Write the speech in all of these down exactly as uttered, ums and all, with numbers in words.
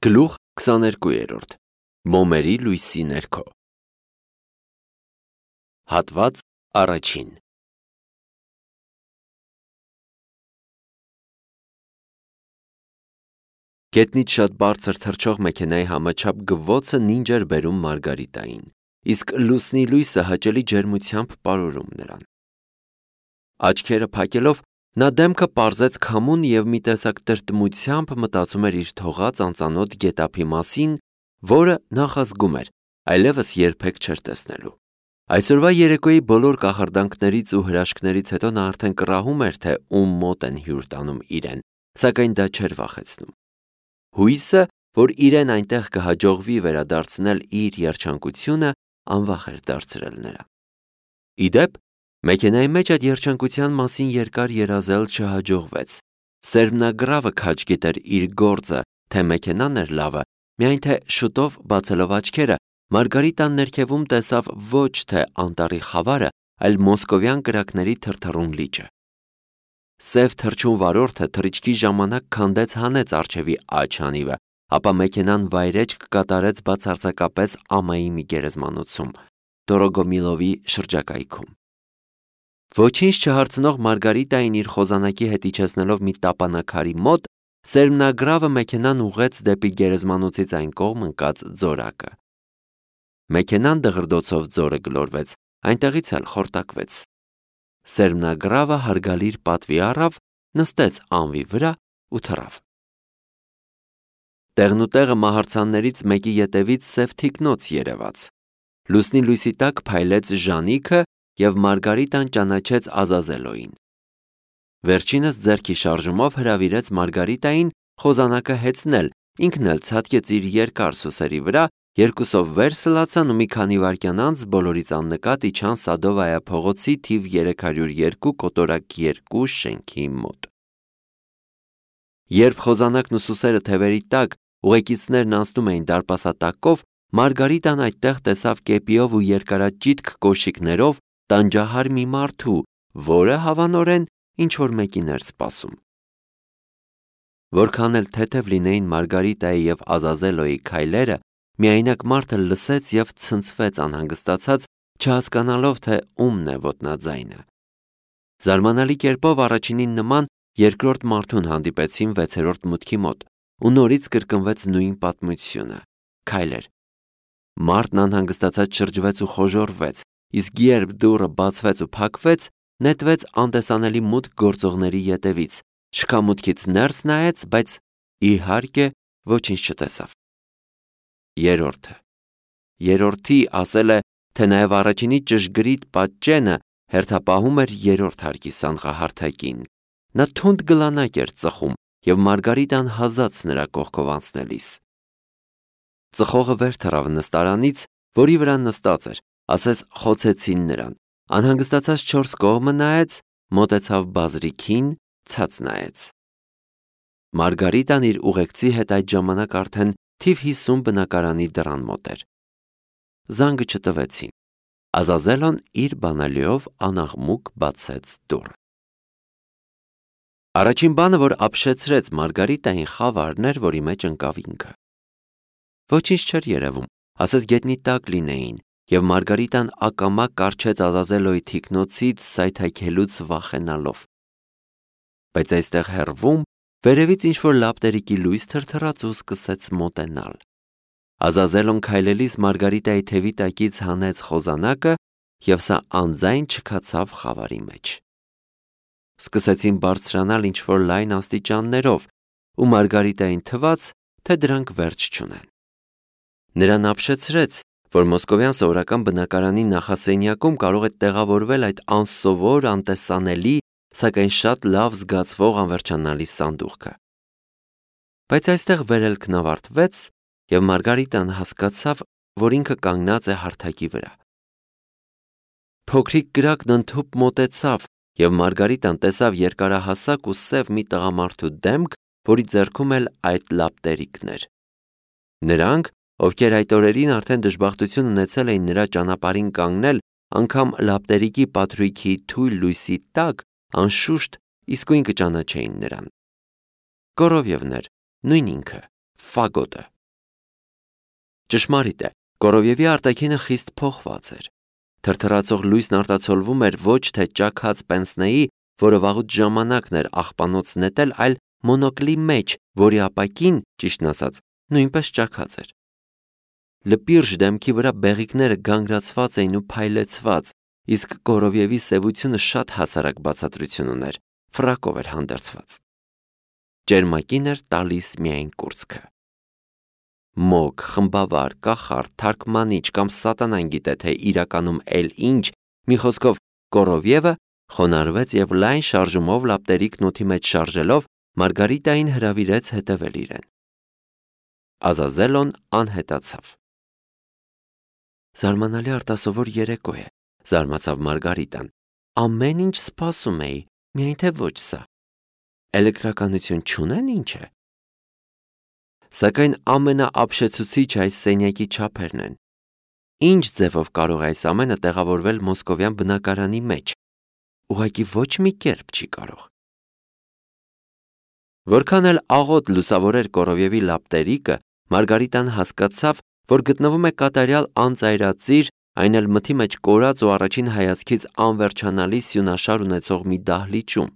Գլուխ քսաներկուերորդ Մոմերի լույսի ներքո Հատված առաջին Գետնից շատ բարձր թռչող մեքենայի համաչափ գվվոցը նինջ էր բերում Մարգարիտային, իսկ լուսնի լույսը հաճելի ջերմությամբ պարուրում նրան։ Աչքերը փակելով նա դեմքը պարզեց քամուն և մի տեսակ տրտմությամբ մտածում էր իր թողած անծանոթ գետափի մասին, որը նախազգում էր, այլևս երբեք չէր տեսնելու։ Այսօրվա երեկոյի բոլոր կախարդանքներից ու հրաշքներից հետո նա արդեն կռահում էր, թե ում մոտ են հյուր տանում իրեն, սակայն դա չէր վախեցնում։ Հույսը, որ իրեն այնտեղ կհաջողվի վերադարձնել իր երջանկությունը, անվախ էր դարձրել նրան։ Ի դեպ, մեքենայի մեջ այդ երջանկության մասին երկար երազել չհաջողվեց։ Սերմնագրավը քաջ գիտեր իր գործը, թե մեքենան էր լավը, միայն թե շուտով բացելով աչքերը, Մարգարիտան ներքևում տեսավ ոչ թե անտառի խավարը, այլ մոսկովյան կրակների թրթռուն լիճը։ Սև թռչուն վարորդը թռիչքի ժամանակ քանդեց հանեց առջևի աջ հանիվը, ապա մեքենան վայրէջք կատարեց բացարձակապես ամայի մի գերեզմանոցում, Դորոգոմիլովի շրջակայքում։ Ոչինչ չհարցնող Մարգարիտային իր խոզանակի հետ իջեցնելով մի տապանաքարի մոտ, սերմնագրավը մեքենան ուղղեց դեպի գերեզմանոցից այն կողմ ընկած ձորակը։ Մեքենան դղրդոցով ձորը գլորվեց, այնտեղից էլ խորտակվեց։ Սերմնագրավը հարգալիր պատվի առավ, նստեց անվի վրա ու թռավ։ Տեղնուտեղը մահարձաններից մեկի ետևից սև թիկնոց երևաց։ Լուսնի լույսի տակ փայլեց Ժանիքը և Մարգարիտան ճանաչեց Ազազելոյին։ Վերջինս ձեռքի շարժումով հրավիրեց Մարգարիտային խոզանակը հեծնել, ինքն էլ ցատկեց իր երկար սուսերի վրա, երկուսով վեր սլացան ու մի քանի վայրկյան անց բոլորից աննկատ իջան Սադովայա փողոցի թիվ երեք հարյուր երկու կոտորակ երկու շենքի մոտ։ Երբ խոզանակն ու սուսերը թևերի տակ, ուղեկիցներն անցնում էին դարպասատակով, Մարգարիտան այդտեղ տեսավ կեպիով ու երկարաճիտ կոշիկներով տանջահար մի մարդու, որը հավանորեն ինչ-որ մեկին էր սպասում։ Որքան էլ թեթև լինեին Մարգարիտայի և Ազազելոյի քայլերը, միայնակ մարդը լսեց և ցնցվեց անհանգստացած, չհասկանալով, թե ումն է ոտնաձայնը։ Զարմանալի կերպով առաջինին նման երկրորդ մարդուն հանդիպեցին վեցերորդ մուտքի մոտ, ու նորից կրկնվեց նույն պատմությունը՝ քայլեր։ Մարդն անհանգստացած շրջվեց ու խոժոռվեց, իսկ երբ դուռը բացվեց ու փակվեց, նետվեց անտեսանելի մուտք գործողների ետևից, շքամուտքից ներս նայեց, բայց իհարկե ոչինչ չտեսավ։ Երրորդը Երրորդի ասել է, թե նաև առաջինի ճշգրիտ պատճենը հերթապահում էր երրորդ հարկի սանղահարթակին։ Նա թունդ գլանակ էր ծխում, և Մարգարիտան հազաց նրա կողքով անցնելիս։ Ծխողը վեր թռավ նստարանից, որի վրա նստած էր, ասես խոցեցին նրան, անհանգստացած չորս կողմը նայեց, մոտեցավ բազրիքին, ցած նայեց։ Մարգարիտան իր ուղեկցի հետ այդ ժամանակ արդեն թիվ հիսուն բնակարանի դռան մոտ էր։ Զանգը չտվեցին։ Ազազելոն իր բանալիով անաղմուկ բացեց դուռը։ Առաջին բանը, որ ապշեցրեց Մարգարիտային, խավարն էր, որի մեջ ընկավ ինքը։ Ոչինչ չէր երևում, ասես գետնի տակ լինեին, և Մարգարիտան ակամա կառչեց Ազազելոյի թիկնոցից սայթաքելուց վախենալով։ Բայց այստեղ հեռվում, վերևից ինչ-որ լապտերիկի լույս թրթռաց ու սկսեց մոտենալ։ Ազազելոն քայլելիս Մարգարիտայի թևի տակից հանեց խոզանակը, և սա անձայն չքացավ խավարի մեջ։ Սկսեցին բարձրանալ ինչ-որ լայն աստիճաններով, ու Մարգարիտային թվաց, թե դրանք վերջ չունեն։ Նրան ապշեցրեց, որ մոսկովյան սովորական բնակարանի նախասենյակում կարող է տեղավորվել այդ անսովոր, անտեսանելի, սակայն շատ լավ զգացվող անվերջանալի սանդուղքը։ Բայց այստեղ վերելքն ավարտվեց, և Մարգարիտան հասկացավ, որ ինքը կանգնած է հարթակի վրա։ Փոքրիկ կրակն ընդհուպ մոտեցավ, և Մարգարիտան տեսավ երկարահասակ ու սև մի տղամարդու դեմք, որի ձեռքում էլ այդ լապտերիկն էր։ Նրանք, ովքեր այդ օրերին արդեն դժբախտություն ունեցել էին նրա ճանապարհին կանգնել, անգամ լապտերիկի պատրույգի թույլ լույսի տակ, անշուշտ իսկույն կճանաչեին նրան։ Կորովևն էր, նույն ինքը, Ֆագոտը։ Ճշմարիտ է, Կորովյևի արտաքինը խիստ փոխված էր։ Թրթռացող լույսն արտացոլվում էր ոչ թե ճաքած պենսնեի, որը վաղուց ժամանակն էր աղբանոց նետել, այլ մոնոկլի մեջ, որի ապակին, ճիշտն ասած, նույնպես ճաքած էր։ Լպիրժ դեմքի վրա բեղիկները գանգրացված էին ու փայլեցված, իսկ Կորովյևի սևությունը շատ հասարակ բացատրություն ուներ, ֆրակով էր հանդերձված։ Ճերմակին էր տալիս միայն կուրծքը։ Մոգ, խմբավար, կախարդ, թարգմանիչ կամ սատանան գիտե թե իրականում էլ ինչ, մի խոսքով Կորովյևը խոնարհվեց եւ լայն շարժումով լապտերիկն օդի մեջ շարժելով Մարգարիտային հրավիրեց հետևել իրեն։ Ազազելոն անհետացավ։ Զարմանալի արտասովոր երեկո է, զարմացավ Մարգարիտան։ Ամեն ինչ սպասում էի, միայն թե ոչ սա։ Էլեկտրականություն չունեն ինչ է։ Սակայն ամենաապշեցուցիչ այս սենյակի չափերն են։ Ինչ ձևով կարող է այս ամենը տեղավորվել մոսկովյան բնակարանի մեջ։ Ուղղակի ոչ մի կերպ չի կարող։ Որքան էլ աղոտ լուսավորեր Կորովյևի լապտերիկը, Մարգարիտան հասկացավ, որ գտնվում է կատարյալ անծայրածիր, այն էլ մթի մեջ կորած ու առաջին հայացքից անվերջանալի սյունաշար ունեցող մի դահլիճում։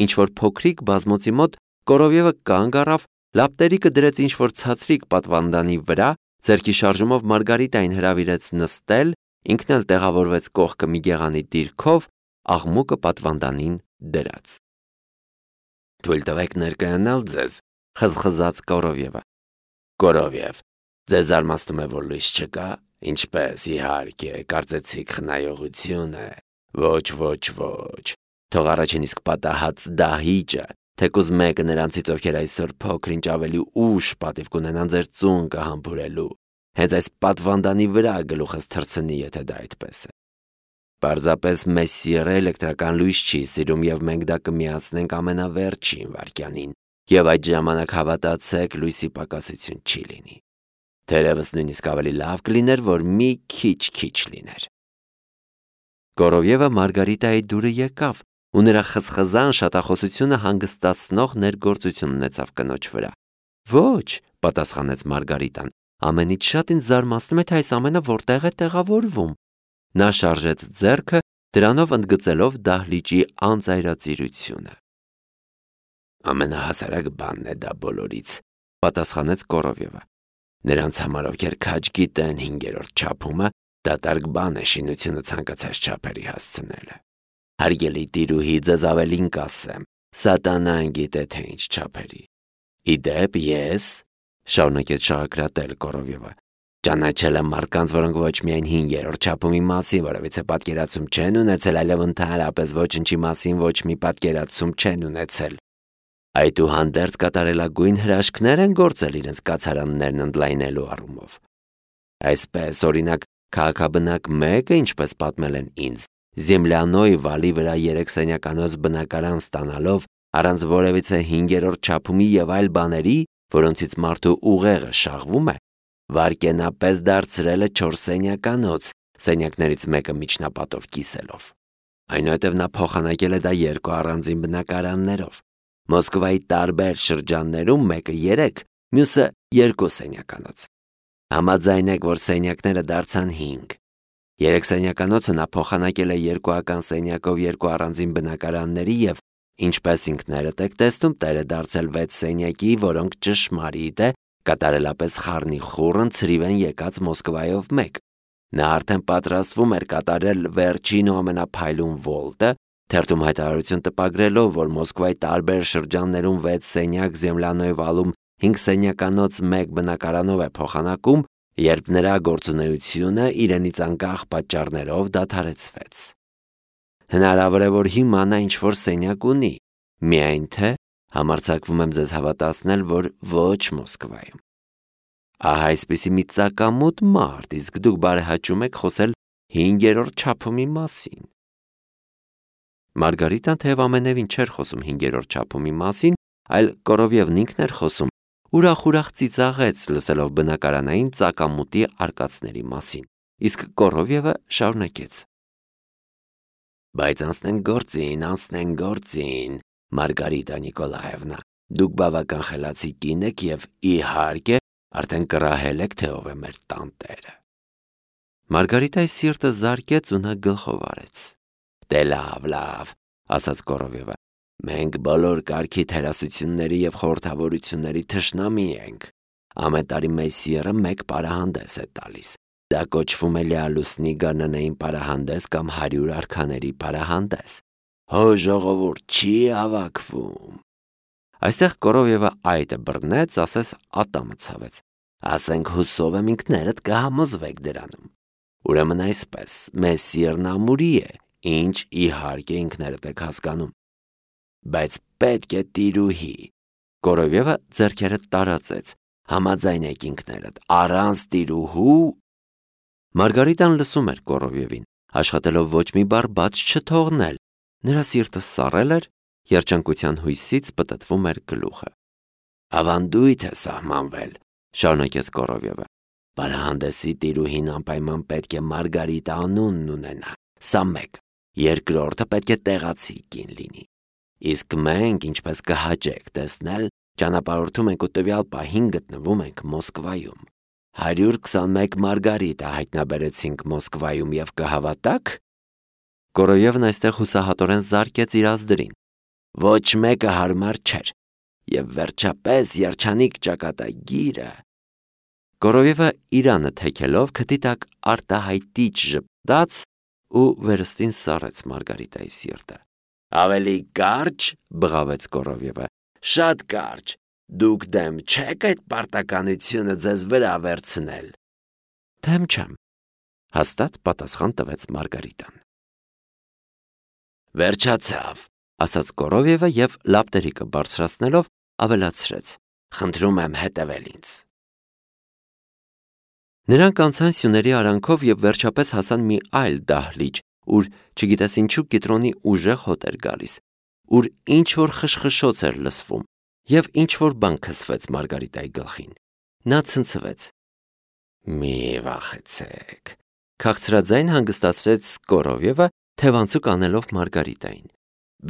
Ինչ-որ փոքրիկ բազմոցի մոտ Կորովյևը կանգ առավ, լապտերիկը դրեց ինչ-որ ցածրիկ պատվանդանի վրա, ձեռքի շարժումով Մարգարիտային հրավիրեց նստել, ինքն էլ տեղավորվեց կողքը մի գեղանի դիրքով, աղմուկը պատվանդանին դրած։ Թույլ տվեք ներկայանալ ձեզ, խզխզաց Կորովյևը։ Կորովյև, ձեզ զարմացնում է, որ լույս չկա, ինչպես իհարկե, կարծեցիք խնայողություն է։ Ոչ, ոչ, ոչ։ Թող առաջին իսկ պատահած դահիճը, թեկուզ մեկը նրանցից, ովքեր այսօր փոքր-ինչ ավելի ուշ պատիվ կունենան ձեր ծունկը համբուրելու, հենց այս պատվանդանի վրա գլուխս թռցնի, եթե դա այդպես է։ Պարզապես Մեսսիերը էլեկտրական լույս չի սիրում եւ մենք դա կմիացնենք ամենավերջին վայրկյանին, եւ այդ ժամանակ հավատացեք, լույսի պակասություն չի լինի։ Թերևս նույնիսկ ավելի լավ կլիներ, որ մի քիչ-քիչ լիներ։ Կորովյևը Մարգարիտայի դուրը եկավ, ու նրա խզխզան շատախոսությունը հանգստացնող ներգործություն ունեցավ կնոջ վրա։ Ոչ, պատասխանեց Մարգարիտան, ամենից շատ ինձ զարմացնում է, թե այս ամենը որտեղ է տեղավորվում։ Նա շարժեց ձեռքը, դրանով ընդգծելով դահլիճի անծայրածիրությունը։ Ամենահասարակ բանն է դա բոլորից, պատասխանեց Կորովյևը։ Նրանց համար, ովքեր քաջ գիտեն հինգերորդ չափումը, դատարկ բան է շինությունը ցանկացած չափերի հասցնելը։ Հարգելի տիրուհի, ձեզ ավելին կասեմ, սատանան գիտե թե ինչ չափերի։ Իդեպ ես, շարունակեց շաղակրատել Կորովյևը, ճանաչել եմ մարդկանց, որոնք ոչ միայն հինգերորդ չափումի մասին որևիցե պատկերացում չեն ունեցել, այլև ընդհանրապես ոչնչի մասին ոչ մի պատկերացում չեն ունեցել։ Այդուհանդերձ կատարելագույն հրաշքներ են գործել իրենց կացարաններն ընդլայնելու առումով։ Այսպես, օրինակ, քաղաքաբնակ մեկը, ինչպես պատմել են ինձ, Զեմլյանոյ վալի վրա երեք սենյականոց բնակարան ստանալով, առանց որևիցե հինգերորդ չափումի եւ այլ բաների, որոնցից մարդու ուղեղը շաղվում է, վարկենապես դարձրել է չորս սենյականոց, սենյակներից մեկը միջնապատով կիսելով։ Այնուհետև նա փոխանակել է դա երկու առանձին բնակարաններով։ Մոսկվայի տարբեր շրջաններում մեկը երեք, մյուսը երկու սենյականոց։ Համաձայնեք, որ սենյակները դարձան հինգ։ Երեք սենյականոցը նա փոխանակել է երկուական սենյակով երկու առանձին բնակարանների եւ, ինչպես ինքներդ եք տեսնում, տերը դարձել վեց սենյակի, որոնք ճշմարիտ է, կատարելապես խառնիխուռն ցրիվ են եկած Մոսկվայով մեկ։ Նա արդեն պատրաստվում էր կատարել վերջին ու ամենափայլուն վոլտը, թերթում հայտարարություն տպագրելով, որ Մոսկվայի տարբեր շրջաններում վեց սենյակ Զեմլյանոյ վալում հինգ սենյականոց մեկ բնակարանով է փոխանակում, երբ նրա գործունեությունը իրենից անկախ պատճառներով դադարեցվեց։ Հնարավոր է, որ հիմա նա ինչ-որ սենյակ ունի, միայն թե համարձակվում եմ ձեզ հավատացնել, որ ոչ Մոսկվայում։ Ահա այսպիսի մի ծակամուտ մարդ, իսկ դուք բարեհաճում եք խոսել հինգերորդ չափումի մասին։ Մարգարիտան թեև ամենևին չէր խոսում հինգերորդ չափումի մասին, այլ Կորովյևն ինքն էր խոսում, ուրախ-ուրախ ծիծաղեց լսելով բնակարանային ծակամուտի արկածների մասին, իսկ Կորովյևը շարունակեց. Բայց անցնենք գործին, անցնենք գործին, Մարգարիտա Նիկոլաևնա, դուք բավական խելացի կին եք եւ իհարկե Արդեն կռահել եք, թե ով է մեր տանտերը։ Մարգարիտայի սիրտը զարկեց ու նա գլխով արեց։ Դե լավ, լավ, ասաց Կորովևը, մենք բոլոր կարգի թերասությունների և խորհրդավորությունների թշնամի ենք։ Ամեն տարի Մեսիերը մեկ պարահանդես է տալիս։ Դա կոչվում է լիալուսնի գարնանային պարահանդես կամ հարյուր արքաների պարահանդես։ Հո ժողովուրդ չի հավաքվում։ Այստեղ Կորովևը այդը բռնեց, ասես ատամը ցավեց։ Ասենք հուսով եմ ինքներդ կհամոզվեք դրանում։ Ուրեմն այսպես, Մեսիերն ամուրի է, ինչ իհարկե ինքներդ եք հասկանում։ Բայց պետք է տիրուհի։ Կորովևը ձեռքերը տարածեց։ Համաձայնեք ինքներդ, առանց տիրուհու։ Մարգարիտան լսում էր Կորովևին, աշխատելով ոչ մի բառ բաց չթողնել։ Նրա սիրտը սառել էր, երջանկության հույսից պտտվում էր գլուխը։ Ավանդույթ է սահմանվել, շարունակեց Կորովևը։ Պարահանդեսի տիրուհին անպայման պետք է Մարգարիտա անունն ունենա, սա մեկ, երկրորդը պետք է տեղացի կին լինի։ Իսկ մենք, ինչպես կհաջեք տեսնել, ճանապարհորդում ենք ու տվյալ պահին գտնվում ենք Մոսկվայում։ հարյուր քսանմեկ Մարգարիտա հայտնաբերեցինք Մոսկվայում և կհավատաք։ Կորովևն այստեղ հուսահատորեն զարկեց իր ազդրին։ Ոչ մեկը հարմար չէր։ Եվ վերջապես երջանիկ ճակատագիրը։ Կորովևը իրանը թեքելով քթի տակ արտահայտիչ ժպտաց ու վերստին սառեց Մարգարիտայի սիրտը։ Ավելի կարճ, բղավեց Կորովևը, շատ կարճ։ Դուք դեմ չեք այդ պարտականությունը ձեզ վրա վերցնել։ Դեմ չեմ, հաստատ պատասխան տվեց Մարգարիտան։ Վերջացավ, ասաց Կորովևը և լապտերիկը բարձրացնելով ավելացրեց. Խնդրում եմ հետևել ինձ։ Նրանք անցան սյուների արանքով և վերջապես հասան մի այլ դահլիճ, ուր չգիտես ինչու կիտրոնի ուժեղ հոտ էր գալիս, ուր ինչ-որ խշխշոց էր լսվում, և ինչ-որ բան քսվեց Մարգարիտայի գլխին։ Նա ցնցվեց։ Մի վախեցեք, քաղցրաձայն հանգստացրեց Կորովևը, թևանցուկ անելով Մարգարիտային։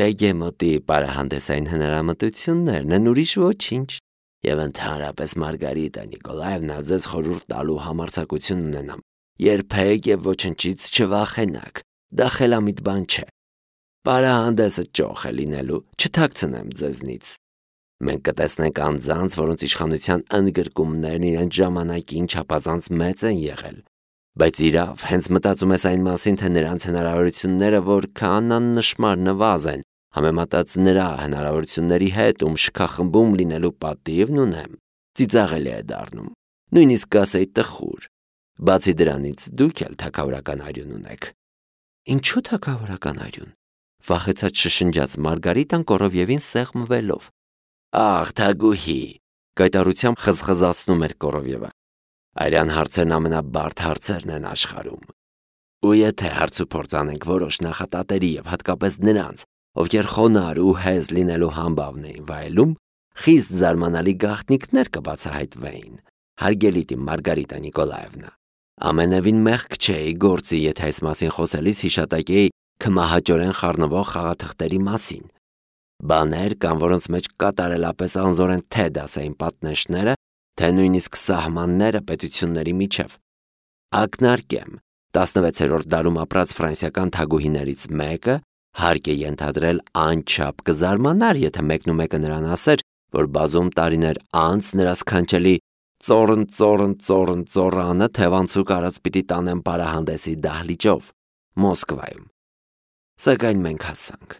Բեգեմոտի պարահանդեսային հնարամտություններն են, ուրիշ ոչինչ։ Եվ ընդհանրապես Մարգարիտա Նիկոլաևնա, ձեզ խորհուրդ տալու համարձակություն ունենամ, երբեք և ոչնչից չվախենաք, դա խելամիտ բան չէ։ Պարահանդեսը ճոխ է լինելու, չթաքցնեմ ձեզնից։ Մենք կտեսնենք անձանց, որոնց իշխանության ընդգրկումներն իրենց ժամանակին չափազանց մեծ են եղել։ Բայց իրավ, հենց մտածում ես այն մասին, թե նրանց հնարավորությունները որքան աննշմար նվազ են, համեմատած նրա հնարավորությունների հետ, ում շքախմբում լինելու պատիվն ունեմ, ծիծաղելի է դառնում, նույնիսկ կասեի տխուր։ Բացի դրանից դուք էլ թագավորական արյուն ունեք։ Ինչու թագավորական արյուն, վախեցած շշնջաց Մարգարիտան Կորովևին սեղմվելով։ Ախ, թագուհի, կայտառությամբ խզխզացնում էր Կորովևը։ Արյան հարցերն ամենաբարդ հարցերն են աշխարհում։ Ու եթե հարց ու փորձ անենք որոշ նախատատերի և հատկապես նրանց, ովքեր խոնարհ ու հեզ լինելու համբավն էին վայելում, խիստ զարմանալի գաղտնիքներ կբացահայտվեին, հարգելի Մարգարիտա Նիկոլաևնա։ Ամենևին մեղք չէի գործի, եթե այս մասին խոսելիս հիշատակեի քմահաճորեն խառնվող խաղաթղթերի մասին։ Բաներ կան, որոնց մեջ կատարելապես անզոր են թե դասային պատնեշները, թե նույնիսկ սահմանները պետությունների միջև։ Ակնարկեմ, տասնվեցերորդ դարում ապրած ֆրանսիական թագուհիներից մեկը հարկ է ենթադրել անչափ կզարմանար, եթե մեկնումեկը նրան ասեր, որ բազում տարիներ անց նրա սքանչելի ծոռն ծոռն ծոռն ծոռանը թևանցուկ արած պիտի տանեն պարահանդեսի դահլիճով Մոսկվայում։ Սակայն մենք հասանք։